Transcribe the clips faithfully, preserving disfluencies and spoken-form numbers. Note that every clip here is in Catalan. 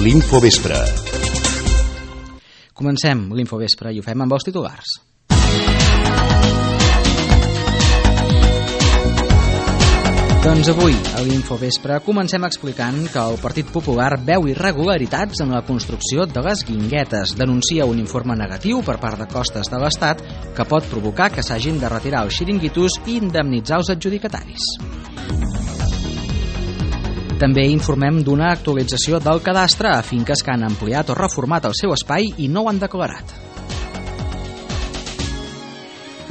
l'Infovespre. Comencem l'Infovespre i ho fem amb els titulars. Doncs avui, a l'Infovespre, comencem explicant que el Partit Popular veu irregularitats en la construcció de les Guinguetes. Denuncia un informe negatiu per part de Costes de l'Estat que pot provocar que s'hagin de retirar els xiringuitos i indemnitzar els adjudicataris. També informem d'una actualització del cadastre a finques que han ampliat o reformat el seu espai i no ho han declarat.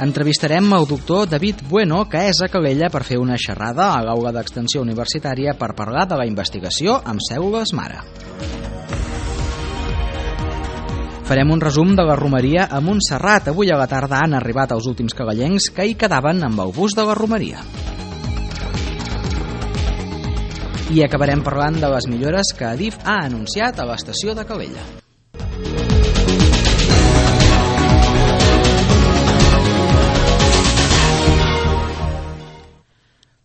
Entrevistarem el doctor David Bueno, que és a Calella per fer una xerrada a l'aula d'extensió universitària per parlar de la investigació amb cèl·lules mare. Farem un resum de la romeria a Montserrat. Avui a la tarda han arribat els últims calellencs que hi quedaven amb el bus de la romeria. I acabarem parlant de les millores que Adif ha anunciat a l'estació de Calella.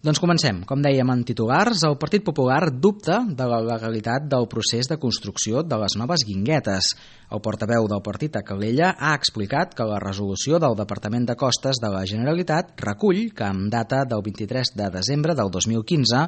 Doncs comencem. Com dèiem en titulars, el Partit Popular dubta de la legalitat del procés de construcció de les noves Guinguetes. El portaveu del partit a Calella ha explicat que la resolució del Departament de Costes de la Generalitat recull que amb data del vint-i-tres de desembre del dos mil quinze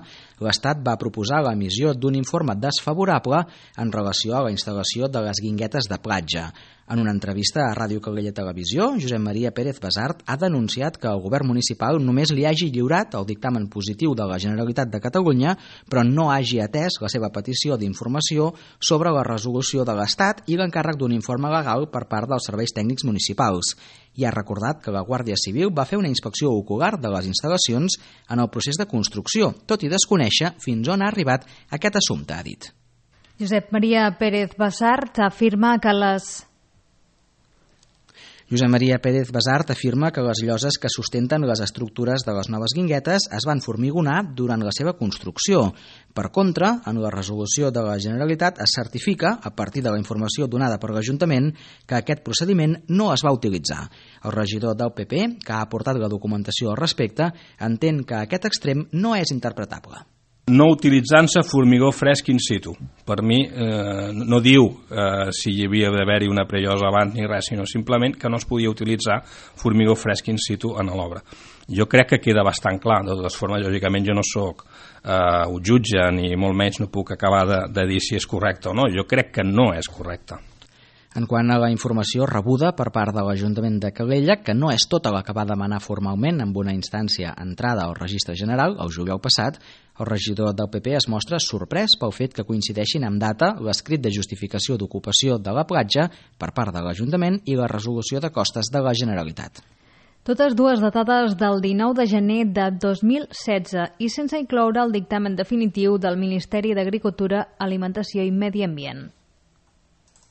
l'Estat va proposar l'emissió d'un informe desfavorable en relació a la instal·lació de les Guinguetes de platja. En una entrevista a Ràdio Calella Televisió, Josep Maria Pérez Basart ha denunciat que el govern municipal només li hagi lliurat el dictamen positiu de la Generalitat de Catalunya, però no hagi atès la seva petició d'informació sobre la resolució de l'Estat i l'encàrrec d'un informe legal per part dels serveis tècnics municipals. I ha recordat que la Guàrdia Civil va fer una inspecció ocular de les instal·lacions en el procés de construcció, tot i desconèixer fins on ha arribat aquest assumpte, ha dit. Josep Maria Pérez Basart afirma que les... Josep Maria Pérez Basart afirma que les lloses que sustenten les estructures de les noves Guinguetes es van formigonar durant la seva construcció. Per contra, en la resolució de la Generalitat es certifica, a partir de la informació donada per l'Ajuntament, que aquest procediment no es va utilitzar. El regidor del P P, que ha aportat la documentació al respecte, entén que aquest extrem no és interpretable. No utilitzant-se formigó fresc in situ. Per mi eh, no diu eh, si hi havia d'haver-hi una prellosa abans ni res, sinó simplement que no es podia utilitzar formigó fresc in situ en l'obra. Jo crec que queda bastant clar. De totes formes, lògicament jo no soc eh, un jutge ni molt menys no puc acabar de, de dir si és correcte o no. Jo crec que no és correcte. En quant a la informació rebuda per part de l'Ajuntament de Calella, que no és tota la que va demanar formalment amb una instància entrada al Registre General el juliol passat, el regidor del P P es mostra sorprès pel fet que coincideixin amb data l'escrit de justificació d'ocupació de la platja per part de l'Ajuntament i la resolució de costes de la Generalitat. Totes dues datades del dinou de gener de dos mil setze i sense incloure el dictamen definitiu del Ministeri d'Agricultura, Alimentació i Medi Ambient.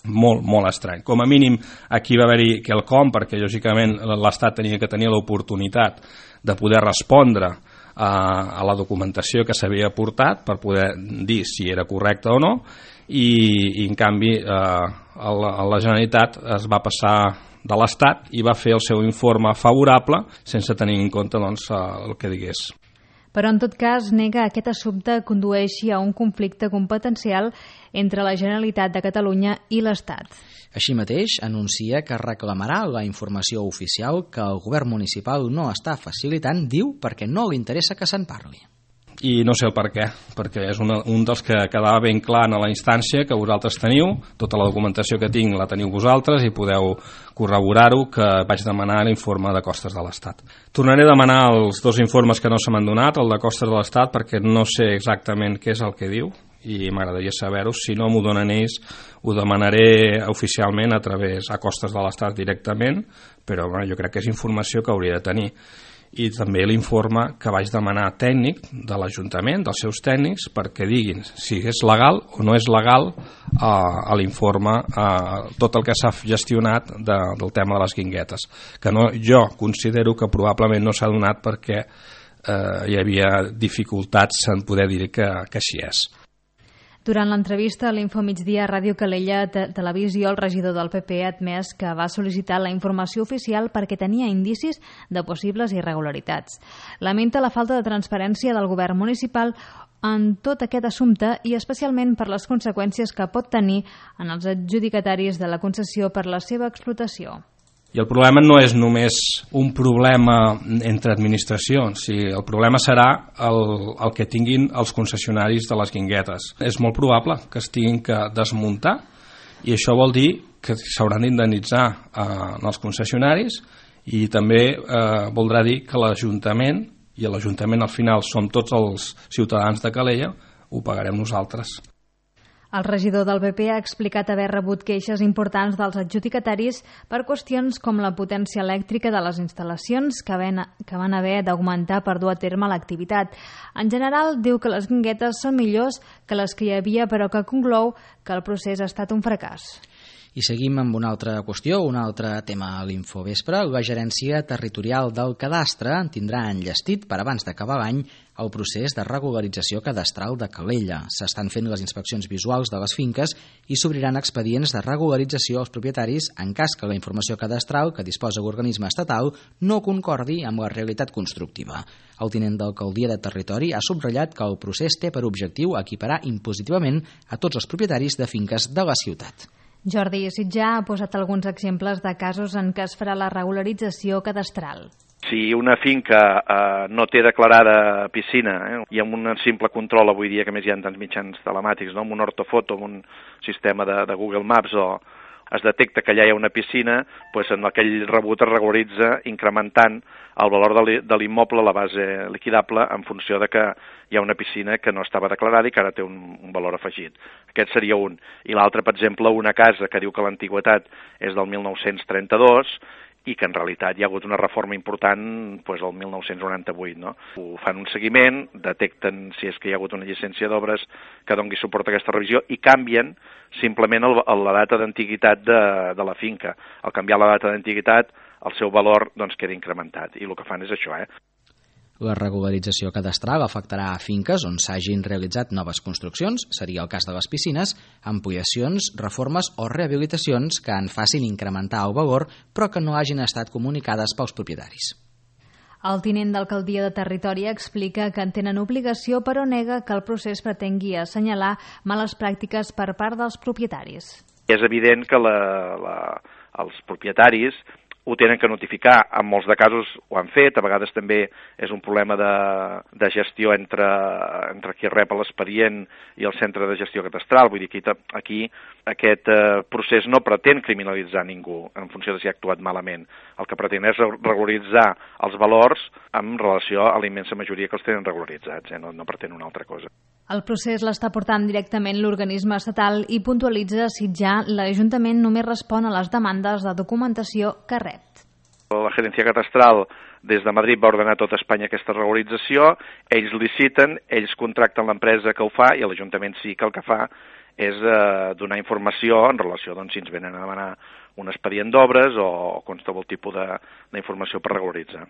Molt, molt estrany. Com a mínim aquí va haver-hi quelcom, perquè lògicament l'Estat tenia que tenir l'oportunitat de poder respondre a, a la documentació que s'havia aportat per poder dir si era correcte o no, i, i en canvi eh, la, la Generalitat es va passar de l'Estat i va fer el seu informe favorable sense tenir en compte doncs, el que digués. Però en tot cas nega que aquest assumpte condueixi a un conflicte competencial entre la Generalitat de Catalunya i l'Estat. Així mateix, anuncia que reclamarà la informació oficial que el govern municipal no està facilitant, diu, perquè no li interessa que se'n parli. I no sé el per què, perquè és una, un dels que quedava ben clar en la instància que vosaltres teniu, tota la documentació que tinc la teniu vosaltres i podeu corroborar-ho, que vaig demanar l'informe de costes de l'Estat. Tornaré a demanar els dos informes que no se m'han donat, el de costes de l'Estat, perquè no sé exactament què és el que diu i m'agradaria saber-ho. Si no m'ho donen ells, ho demanaré oficialment a través a costes de l'Estat directament, però bueno, jo crec que és informació que hauria de tenir. I també l'informe que vaig demanar tècnic de l'Ajuntament, dels seus tècnics, perquè diguin si és legal o no és legal eh, a l'informe eh, tot el que s'ha gestionat de, del tema de les Guinguetes, que no, jo considero que probablement no s'ha donat perquè eh, hi havia dificultats en poder dir que, que així és. Durant l'entrevista a l'Infomigdia a Ràdio Calella Televisió, el regidor del P P ha admès que va sol·licitar la informació oficial perquè tenia indicis de possibles irregularitats. Lamenta la falta de transparència del govern municipal en tot aquest assumpte i especialment per les conseqüències que pot tenir en els adjudicataris de la concessió per la seva explotació. I el problema no és només un problema entre administracions, sí, el problema serà el, el que tinguin els concessionaris de les guinguetes. És molt probable que es tinguin que desmuntar i això vol dir que s'hauran d'indemnitzar eh, els concessionaris i també eh, voldrà dir que l'Ajuntament, i l'Ajuntament al final som tots els ciutadans de Calella, ho pagarem nosaltres. El regidor del B P ha explicat haver rebut queixes importants dels adjudicataris per qüestions com la potència elèctrica de les instal·lacions que, ven, que van haver d'augmentar per dur a terme l'activitat. En general, diu que les guinguetes són millors que les que hi havia, però que conclou que el procés ha estat un fracàs. I seguim amb una altra qüestió, un altre tema a l'Infovespre. La Gerència Territorial del Cadastre tindrà enllestit per abans d'acabar l'any el procés de regularització cadastral de Calella. S'estan fent les inspeccions visuals de les finques i s'obriran expedients de regularització als propietaris en cas que la informació cadastral que disposa l'organisme estatal no concordi amb la realitat constructiva. El tinent d'alcaldia de Territori ha subratllat que el procés té per objectiu equiparar impositivament a tots els propietaris de finques de la ciutat. Jordi Sitjà ha posat alguns exemples de casos en què es farà la regularització cadastral. Si una finca eh, no té declarada piscina, eh, i amb un simple control avui dia, que més hi ha tants mitjans telemàtics, no? Amb un ortofoto, amb un sistema de, de Google Maps, o es detecta que allà hi ha una piscina, doncs en aquell rebut es regularitza incrementant el valor de l'immoble, la base liquidable, en funció de que hi ha una piscina que no estava declarada i que ara té un, un valor afegit. Aquest seria un. I l'altre, per exemple, una casa que diu que l'antigüitat és del mil nou-cents trenta-dos i que en realitat hi ha hagut una reforma important doncs, el mil nou-cents noranta-vuit. No? Ho fan un seguiment, detecten si és que hi ha hagut una llicència d'obres que doni suport a aquesta revisió i canvien simplement el, la data d'antiguitat de, de la finca. Al canviar la data d'antiguitat, el seu valor doncs, queda incrementat. I el que fan és això, eh? La regularització cadastral afectarà a finques on s'hagin realitzat noves construccions, seria el cas de les piscines, ampliacions, reformes o rehabilitacions que en facin incrementar el valor però que no hagin estat comunicades pels propietaris. El tinent d'alcaldia de Territori explica que en tenen obligació però nega que el procés pretengui assenyalar males pràctiques per part dels propietaris. És evident que la, la, els propietaris ho tenen que notificar, en molts de casos ho han fet, a vegades també és un problema de, de gestió entre, entre qui rep l'expedient i el centre de gestió catastral, vull dir que aquí, aquí aquest eh, procés no pretén criminalitzar ningú en funció de si ha actuat malament, el que pretén és regularitzar els valors en relació a la immensa majoria que els tenen regularitzats, eh? no, no pretén una altra cosa. El procés l'està portant directament l'organisme estatal i puntualitza si ja l'Ajuntament només respon a les demandes de documentació que rep. La Gerència Catastral des de Madrid va ordenar a tota Espanya aquesta regularització, ells liciten, ells contracten l'empresa que ho fa i l'Ajuntament sí que el que fa és eh, donar informació en relació doncs, si ens venen a demanar un expedient d'obres o qualsevol tipus d'informació per regularitzar.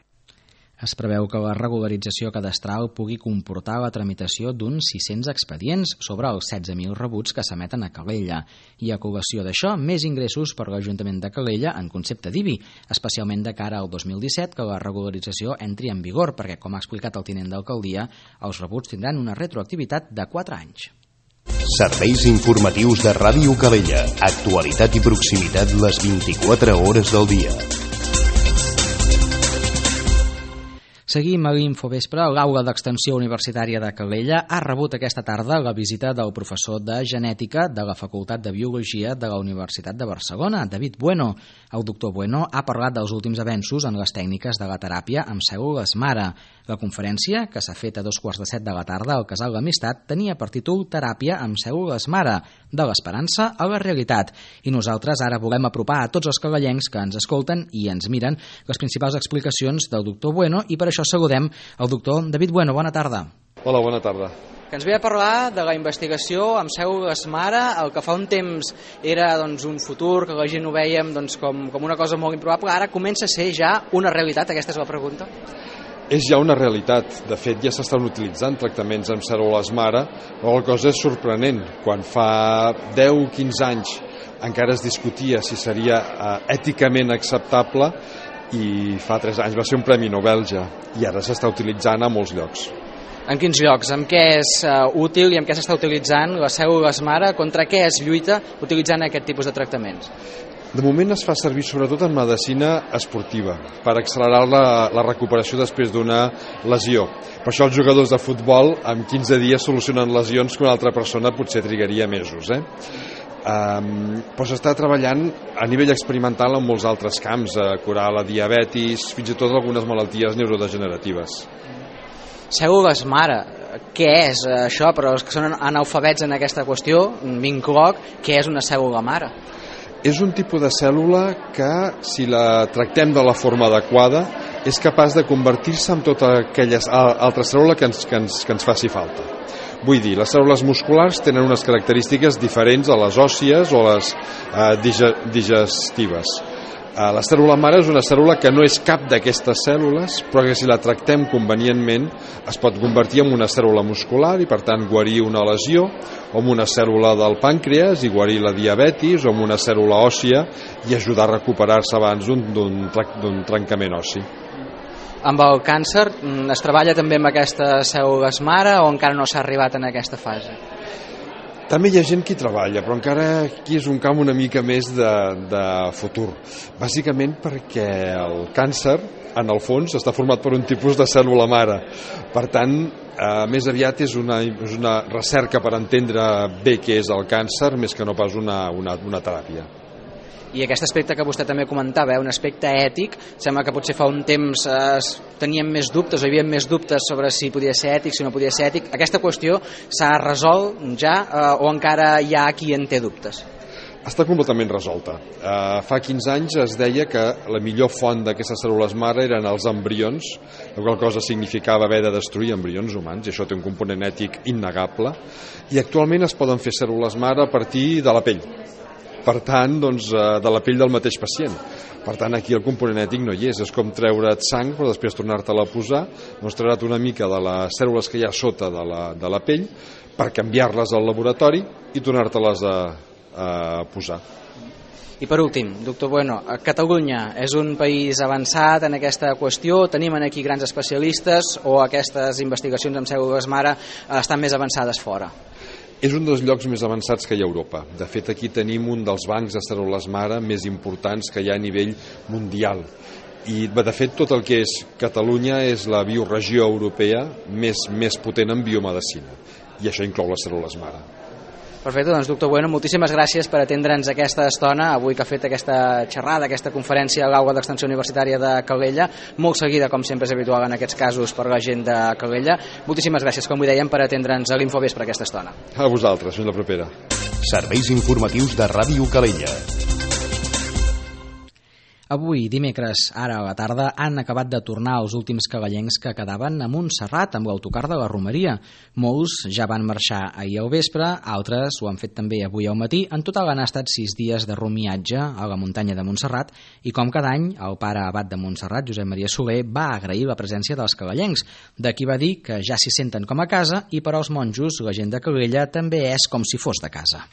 Es preveu que la regularització cadastral pugui comportar la tramitació d'uns sis-cents expedients sobre els setze mil rebuts que s'emeten a Calella i a col·lació d'això més ingressos per l'Ajuntament de Calella en concepte d'I B I, especialment de cara al dos mil disset que la regularització entri en vigor perquè, com ha explicat el tinent d'alcaldia, els rebuts tindran una retroactivitat de quatre anys. Serveis informatius de Ràdio Calella. Actualitat i proximitat les vint-i-quatre hores del dia. Seguim a l'Infovespre. L'Aula d'Extensió Universitària de Calella ha rebut aquesta tarda la visita del professor de Genètica de la Facultat de Biologia de la Universitat de Barcelona, David Bueno. El doctor Bueno ha parlat dels últims avenços en les tècniques de la teràpia amb cèl·lules mare. La conferència, que s'ha fet a dos quarts de set de la tarda al Casal d'Amistat, tenia per títol Teràpia amb cèl·lules mare, de l'esperança a la realitat. I nosaltres ara volem apropar a tots els calellencs que ens escolten i ens miren les principals explicacions del doctor Bueno i per això saludem el doctor David Bueno. Bona tarda. Hola, bona tarda. Que ens ve a parlar de la investigació amb cèl·lules mare, el que fa un temps era doncs, un futur, que la gent ho vèiem doncs, com, com una cosa molt improbable, ara comença a ser ja una realitat, aquesta és la pregunta? És ja una realitat. De fet, ja s'estan utilitzant tractaments amb cèl·lules mare, però la cosa és sorprenent. Quan fa deu o quinze anys encara es discutia si seria eh, èticament acceptable, i fa tres anys va ser un premi Nobel ja, i ara s'està utilitzant a molts llocs. En quins llocs? En què és uh, útil i en què s'està utilitzant les cèl·lules mare? Contra què es lluita utilitzant aquest tipus de tractaments? De moment es fa servir sobretot en medicina esportiva per accelerar la, la recuperació després d'una lesió. Per això els jugadors de futbol en quinze dies solucionen lesions que una altra persona potser trigaria mesos. Eh? Um, però s'està treballant a nivell experimental en molts altres camps, a curar la diabetis, fins i tot algunes malalties neurodegeneratives. Cèl·lules mare, què és això? Però els que són analfabets en aquesta qüestió, m'incloc, què és una cèl·lula mare? És un tipus de cèl·lula que, si la tractem de la forma adequada, és capaç de convertir-se en totes aquelles altres cèl·lules que ens, que, ens, que ens faci falta. Vull dir, les cèl·lules musculars tenen unes característiques diferents a les òssies o a les eh, digestives. Eh, la cèl·lula mare és una cèl·lula que no és cap d'aquestes cèl·lules, però que si la tractem convenientment es pot convertir en una cèl·lula muscular i per tant guarir una lesió, o en una cèl·lula del pàncreas i guarir la diabetis, o en una cèl·lula òssia i ajudar a recuperar-se abans d'un trencament ossi. Amb el càncer es treballa també amb aquestes cèl·lules mare o encara no s'ha arribat en aquesta fase? També hi ha gent que hi treballa, però encara aquí és un camp una mica més de, de futur. Bàsicament perquè el càncer, en el fons, està format per un tipus de cèl·lula mare. Per tant, eh, més aviat és una, és una recerca per entendre bé què és el càncer, més que no pas una, una, una teràpia. I aquest aspecte que vostè també comentava, eh, un aspecte ètic, sembla que potser fa un temps eh, teníem més dubtes, o hi havia més dubtes sobre si podia ser ètic, si no podia ser ètic. Aquesta qüestió s'ha resolt ja eh, o encara hi ha qui en té dubtes? Està completament resolta. Uh, fa quinze anys es deia que la millor font d'aquestes cèl·lules mare eren els embrions, la qual cosa significava haver de destruir embrions humans, i això té un component ètic innegable, i actualment es poden fer cèl·lules mare a partir de la pell. Per tant, doncs, de la pell del mateix pacient. Per tant, aquí el component ètic no hi és. És com treure't sang, però després tornar-te-la a posar, doncs treure't una mica de les cèl·lules que hi ha sota de la, de la pell per canviar-les al laboratori i tornar-te-les a, a posar. I per últim, doctor Bueno, Catalunya és un país avançat en aquesta qüestió, tenim aquí grans especialistes o aquestes investigacions amb cèl·lules mare estan més avançades fora? És un dels llocs més avançats que hi ha a Europa. De fet, aquí tenim un dels bancs de cèl·lules mare més importants que hi ha a nivell mundial. I, de fet, tot el que és Catalunya és la bioregió europea més, més potent en biomedicina. I això inclou les cèl·lules mare. Perfecte, doncs doctor Bueno, moltíssimes gràcies per atendre'ns aquesta estona, avui que ha fet aquesta xerrada, aquesta conferència a l'Aula d'Extensió Universitària de Calella, molt seguida, com sempre és habitual en aquests casos, per la gent de Calella. Moltíssimes gràcies, com ho dèiem, per atendre'ns a l'Infovespre aquesta estona. A vosaltres, fins la propera. Serveis informatius de Ràdio Calella. Avui, dimecres, ara a la tarda, han acabat de tornar els últims calellencs que quedaven a Montserrat amb l'autocar de la Romeria. Molts ja van marxar ahir al vespre, altres ho han fet també avui al matí. En total han estat sis dies de rumiatge a la muntanya de Montserrat i, com cada any, el pare abat de Montserrat, Josep Maria Soler, va agrair la presència dels calellencs. D'aquí va dir que ja s'hi senten com a casa i per als monjos la gent de Calella també és com si fos de casa.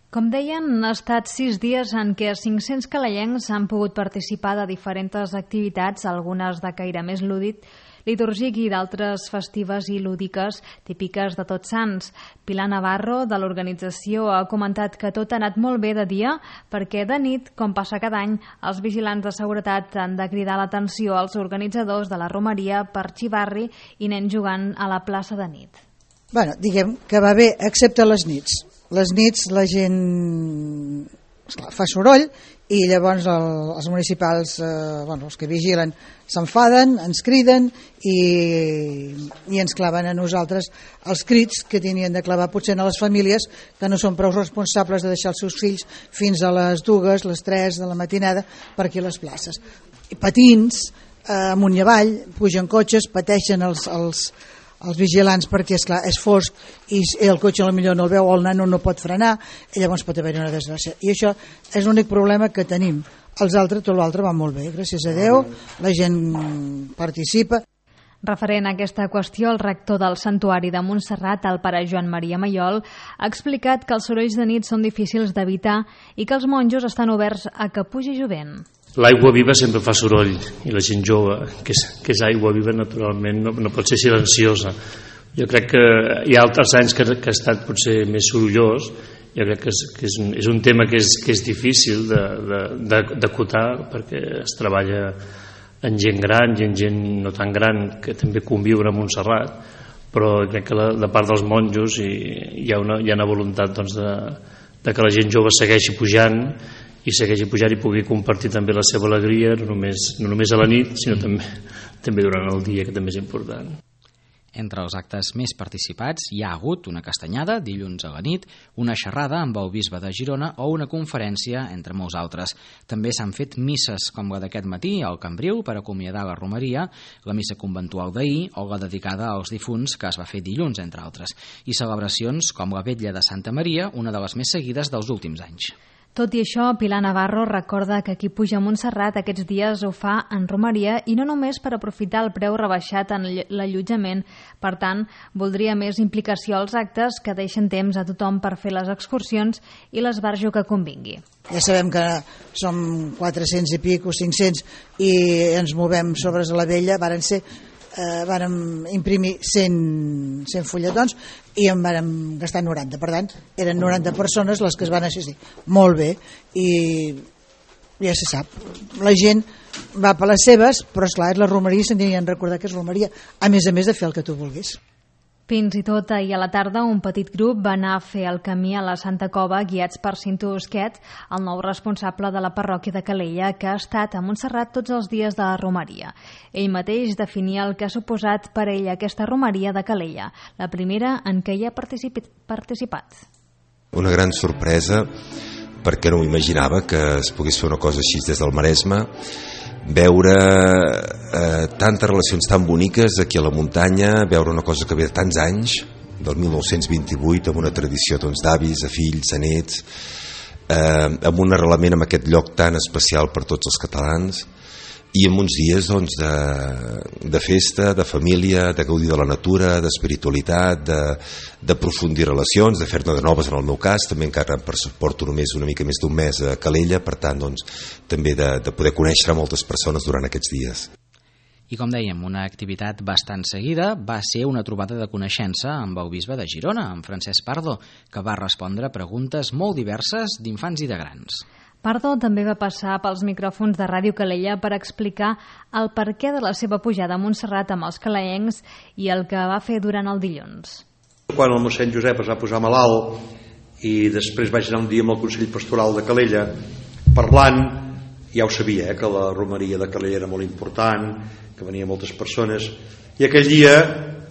Com deien, han estat sis dies en què cinc-cents calellencs han pogut participar de diferents activitats, algunes de caire més lúdic, litúrgic i d'altres festives i lúdiques típiques de Tots Sants. Pilar Navarro, de l'organització, ha comentat que tot ha anat molt bé de dia perquè de nit, com passa cada any, els vigilants de seguretat han de cridar l'atenció als organitzadors de la romeria per xivarri i nens jugant a la plaça de nit. Bueno, diguem que va bé, excepte les nits. Les nits la gent esclar, fa soroll i llavors el, els municipals, eh, bueno, els que vigilen, s'enfaden, ens criden i, i ens claven a nosaltres els crits que tenien de clavar potser a les famílies que no són prou responsables de deixar els seus fills fins a les dues, les tres de la matinada per aquí a les places. I patins, eh, amunt i avall, pugen cotxes, pateixen els... els els vigilants perquè és clar, és fosc i el cotxe potser no el veu o el nano no pot frenar i llavors pot haver-hi una desgràcia i això és l'únic problema que tenim. Els altres, tot l'altre va molt bé, gràcies a Déu, la gent participa. Referent a aquesta qüestió, el rector del Santuari de Montserrat, el pare Joan Maria Maiol, ha explicat que els sorolls de nit són difícils d'evitar i que els monjos estan oberts a que pugi jovent. L'aigua viva sempre fa soroll i la gent jove, que és, que és aigua viva naturalment, no, no pot ser silenciosa, Jo crec que hi ha altres anys que, que ha estat potser més sorollós. Jo crec que és, que és, un, és un tema que és, que és difícil d'acotar, perquè es treballa en gent gran i en gent no tan gran que també conviure a Montserrat, però crec que la, de part dels monjos hi, hi, ha, una, hi ha una voluntat doncs, de, de que la gent jove segueixi pujant i segueixi pujant i pugui compartir també la seva alegria, no només, no només a la nit, sinó també, també durant el dia, que també és important. Entre els actes més participats hi ha hagut una castanyada dilluns a la nit, una xerrada amb el bisbe de Girona o una conferència, entre molts altres. També s'han fet misses com la d'aquest matí al Cambril per acomiadar la romeria, la missa conventual d'ahir o la dedicada als difunts que es va fer dilluns, entre altres, i celebracions com la vetlla de Santa Maria, una de les més seguides dels últims anys. Tot i això, Pilar Navarro recorda que qui puja a Montserrat aquests dies ho fa en romeria i no només per aprofitar el preu rebaixat en l'allotjament. Per tant, voldria més implicació als actes que deixen temps a tothom per fer les excursions i l'esbarjo que convingui. Ja sabem que som quatre-cents i pic o cinc-cents i ens movem sobre la vella, varen ser eh, vàrem imprimir cent, cent fulletons i en vàrem gastar noranta, per tant eren noranta persones les que es van assistir, molt bé, i ja se sap, la gent va per les seves, però esclar, és la romeria, se'n tenien de recordar que és romeria, a més a més de fer el que tu vulguis. Fins i tot ahir a la tarda un petit grup va anar a fer el camí a la Santa Cova guiats per Cinto Busquet, el nou responsable de la parròquia de Calella, que ha estat a Montserrat tots els dies de la romeria. Ell mateix definia el que ha suposat per ell aquesta romeria de Calella, la primera en què hi ha participat. Una gran sorpresa, perquè no m'imaginava que es pogués fer una cosa així des del Maresme, veure eh, tantes relacions tan boniques aquí a la muntanya, veure una cosa que ve de tants anys, del mil nou-cents vint-i-vuit, amb una tradició doncs, d'avis, a fills, a nets, eh, amb un arrelament en aquest lloc tan especial per tots els catalans, i en uns dies doncs, de, de festa, de família, de gaudir de la natura, d'espiritualitat, de, d'aprofundir relacions, de fer-ne de noves en el meu cas, també encara porto només una mica més d'un mes a Calella, per tant doncs, també de, de poder conèixer moltes persones durant aquests dies. I com dèiem, una activitat bastant seguida va ser una trobada de coneixença amb el bisbe de Girona, amb Francesc Pardo, que va respondre a preguntes molt diverses d'infants i de grans. Pardo també va passar pels micròfons de Ràdio Calella per explicar el perquè de la seva pujada a Montserrat amb els calaencs i el que va fer durant el dilluns. Quan el mossèn Josep es va posar malalt i després vaig anar un dia amb el Consell Pastoral de Calella parlant, ja ho sabia, eh, que la romeria de Calella era molt important, que venia moltes persones, i aquell dia,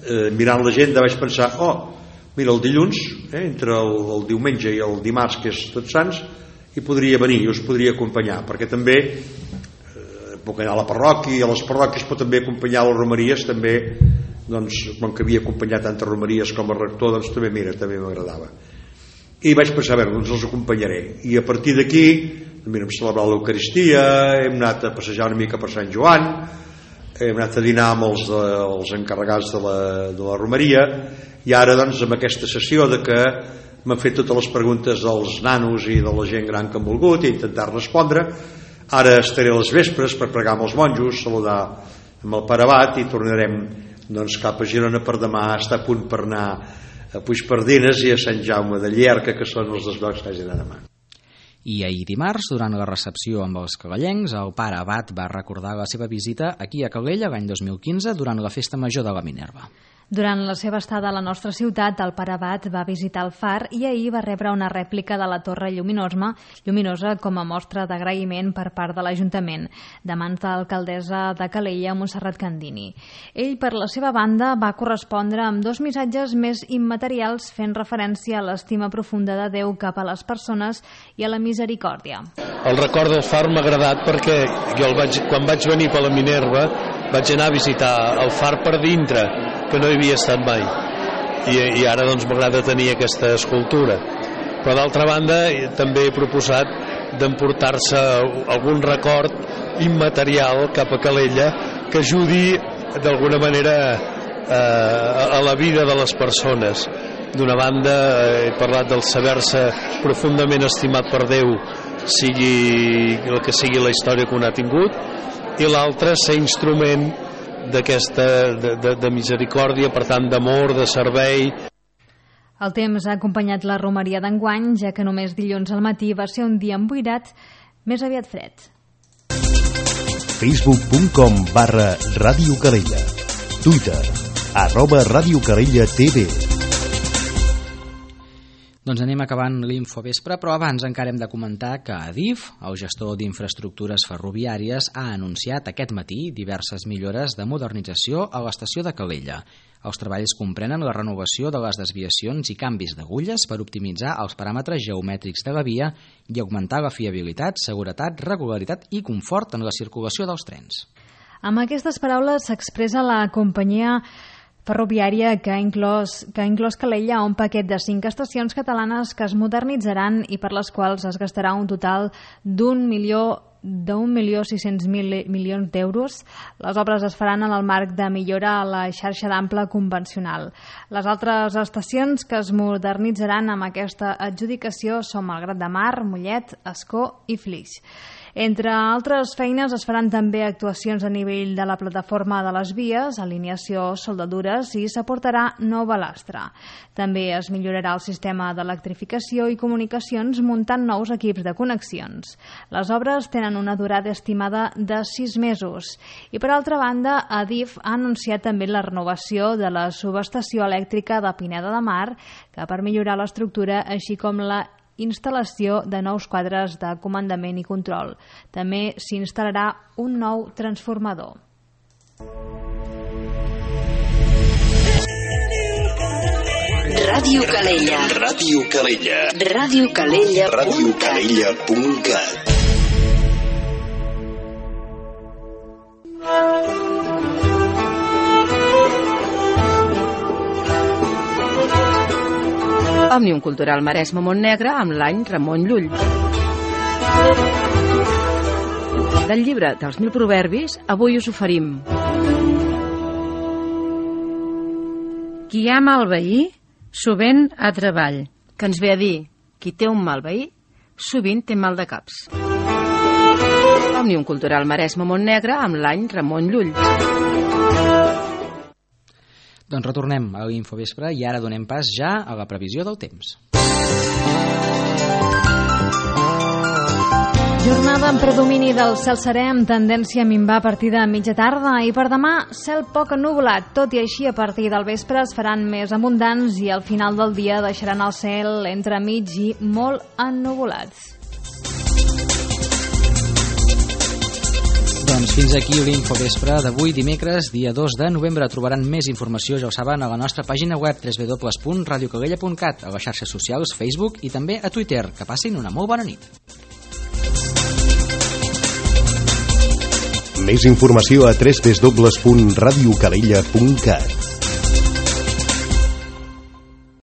eh, mirant l'agenda, vaig pensar, oh, mira, el dilluns, eh, entre el, el diumenge i el dimarts, que és Tots Sants, i podria venir, i us podria acompanyar, perquè també eh, puc anar a la parròquia, a les parròquies, però també acompanyar les romeries, també, doncs, com que havia acompanyat tantes romeries com a rector, doncs també, mira, també m'agradava. I vaig pensar, a veure, doncs els acompanyaré. I a partir d'aquí, mira, hem celebrat l'Eucaristia, hem anat a passejar una mica per Sant Joan, hem anat a dinar amb els, de, els encarregats de la, de la romeria, i ara, doncs, amb aquesta sessió de que m'han fet totes les preguntes dels nanos i de la gent gran que han volgut i intentar respondre. Ara estaré a les vespres per pregar amb els monjos, saludar amb el pare abat i tornarem doncs, cap a Girona per demà, estar a punt per anar a Puigpardines i a Sant Jaume de Llierca, que són els dos llocs que hagi d'anar demà. I ahir dimarts, durant la recepció amb els calellencs, el pare abat va recordar la seva visita aquí a Calella l'any dos mil quinze durant la Festa Major de la Minerva. Durant la seva estada a la nostra ciutat, el pare abat va visitar el far i ahir va rebre una rèplica de la Torre Lluminosa, lluminosa com a mostra d'agraïment per part de l'Ajuntament, de mans de l'alcaldessa de Calella, Montserrat Candini. Ell, per la seva banda, va correspondre amb dos missatges més immaterials fent referència a l'estima profunda de Déu cap a les persones i a la misericòrdia. El record del far m'ha agradat perquè jo el vaig, quan vaig venir per la Minerva vaig anar a visitar el far per dintre, que no hi havia estat mai, i, i ara doncs m'agrada tenir aquesta escultura, però d'altra banda també he proposat d'emportar-se algun record immaterial cap a Calella que ajudi d'alguna manera eh, a la vida de les persones. D'una banda he parlat del saber-se profundament estimat per Déu, sigui el que sigui la història que un ha tingut, i l'altre ser instrument d'aquesta de, de, de misericòrdia, per tant d'amor, de servei. El temps ha acompanyat la romeria d'enguany, ja que només dilluns al matí va ser un dia emboirat, més aviat fred. Facebook.com barra Ràdio Calella. Twitter, arroba Ràdio Calella T V. Doncs anem acabant l'infovespre, però abans encara hem de comentar que Adif, el gestor d'infraestructures ferroviàries, ha anunciat aquest matí diverses millores de modernització a l'estació de Calella. Els treballs comprenen la renovació de les desviacions i canvis d'agulles per optimitzar els paràmetres geomètrics de la via i augmentar la fiabilitat, seguretat, regularitat i confort en la circulació dels trens. Amb aquestes paraules s'expressa la companyia ferroviària que ha inclòs, que ha inclòs Calella un paquet de cinc estacions catalanes que es modernitzaran i per les quals es gastarà un total d'un milió d'un milió sis-cents mil milions d'euros. Les obres es faran en el marc de millora a la xarxa d'ample convencional. Les altres estacions que es modernitzaran amb aquesta adjudicació són Malgrat de Mar, Mollet, Ascó i Flix. Entre altres feines es faran també actuacions a nivell de la plataforma de les vies, alineació, soldadures i s'aportarà nou balastre. També es millorarà el sistema d'electrificació i comunicacions muntant nous equips de connexions. Les obres tenen una durada estimada de sis mesos. I per altra banda, Adif ha anunciat també la renovació de la subestació elèctrica de Pineda de Mar, que per millorar l'estructura, així com la instal·lació de nous quadres de comandament i control. També s'instal·larà un nou transformador. Ràdio Calella. Ràdio Calella. Ràdio Calella. Ràdio Calella punt cat. Òmnium Cultural Maresme Montnegre amb l'any Ramon Llull. Del llibre dels mil proverbis, avui us oferim: qui ama el veí, sovint ha treball, que ens ve a dir, qui té un mal veí, sovint té mal de caps. Òmnium Cultural Maresme Montnegre amb l'any Ramon Llull. Doncs retornem a l'Infovespre i ara donem pas ja a la previsió del temps. Jornada amb predomini del cel serè amb tendència a minvar a partir de mitja tarda i per demà cel poc ennuvolat, tot i així a partir del vespre es faran més abundants i al final del dia deixaran el cel entre mig i molt ennuvolats. Doncs fins aquí l'Infovespre d'avui, dimecres, dia dos de novembre. Trobaran més informació, ja ho saben, a la nostra pàgina web w w w punt radio calella punt cat, a les xarxes socials, Facebook i també a Twitter. Que passin una molt bona nit. Més informació a w w w punt radio calella punt cat.